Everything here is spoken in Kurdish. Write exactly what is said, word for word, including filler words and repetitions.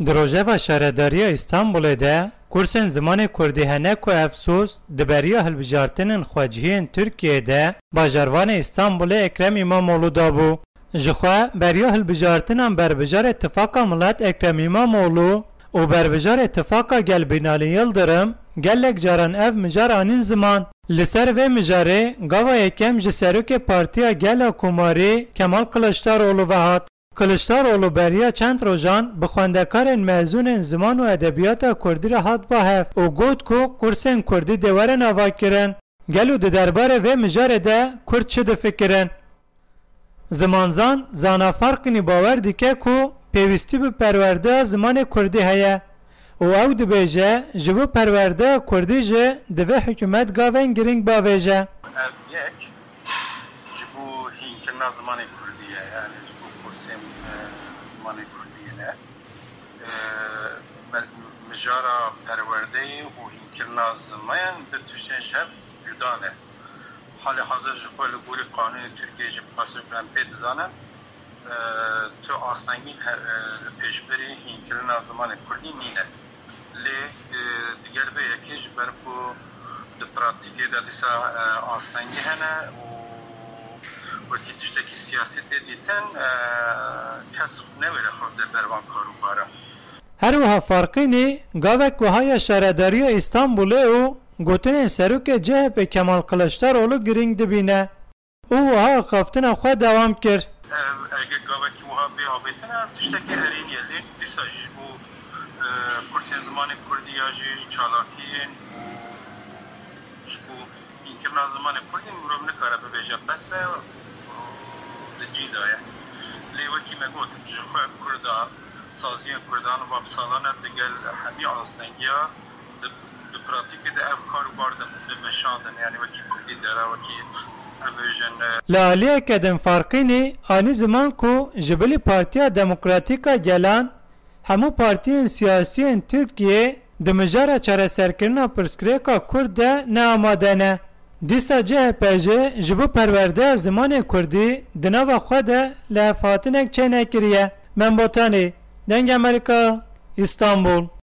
Di rojeva Şaredariya Îstanbulê de kursên zimanê kurdî hene ku efsûs di beriya hilbijartinên xwecihiyên Tirkiyeyê de bajarvanê Îstanbulê Ekrem Îmamoğlu dabû. Ji xwe beriya hilbijartinan berbijarê Tifaka Milet Ekrem Îmamoğlu û berbijarê Tifaka Gel Binalî Yildirim gelek caran ev mijar anîn ziman. Li ser vê mijarê gava yekem ji serokê Partiya Gel a Komarî Kemal Kiliçdaroglu ve hat. Kiliçdaroglu beriya çend rojan bi xwendekarên mezûnên ziman û edebiyata kurdî re hat ba hev û got ku kursên kurdî dê werin avakirin. Gelo di derbarê vê mijarê de kurd çi difikirin? Zimanzan Zana Farqînî bawer dike ku pêwîstî bi perwerdeya zimanê kurdî heye û ew dibêje, ji bo perwerdeya kurdî jî divê hikûmet gavên girîng bavêje. Ev yek ji bo hînkirina zimanê kurdî ye, yani ji bo kursên, e, zimanê kurdî ne. E, me-, Mijara perwerdeyê û hînkirina ziman du tiştên ji hev cuda ne. Halê hazir ji xwe li gorî qanûnê Tirkiyê jî bi qasî ku em pê dizanin, e, tu astengî he-, e, li pêşberî hînkirina zimanê kurdî nîne. Lê, e, digel vê yekê ji ber ku di pratîkê de dîsa, e, astengî hene û wekî tiştekî siyasî tê dîtin, e, kes newêre xwe bide ber van karûbara. Her wiha Farqînî gavek wiha ya Şaredariya Îstanbulê û gotinên serokê C H P Kemal Kiliçdaroglu girîng dibîne û wiha axaftina xwe dewam kir. Ev, eger gavekî wiha bê avêtin, ev tiştekî erênî ye. Lê dîsa jî ji bo, e, kursên zimanê kurdî ya jî çalakiyên û ji bo hînkirina zimanê kurdî mirov nikare bibêje qese, e, di cî de ye. Lê wekî me got, ji xwe kurda, saziyên kurdan va bi salan e digel hemî astengiya di, di pratîkê de ev kar û bar di, dimeşandin, yani wekî kurdî dera, wekî em bêjin, e, Li aliyeke din Farqînî anî ziman ku ji bilî Partiya Demokratîk a Gelan hemû partiyên siyasî yên Tirkiyê di mijara çareserkirina pirsgirêka kurd de ne amade ne. Dîsa C H P jî ji bo perwerdeya zimanê kurdî di nava xwe de lihevhatinek çênekiriye. Membotanî, Dengê Amerîka, Îstanbul.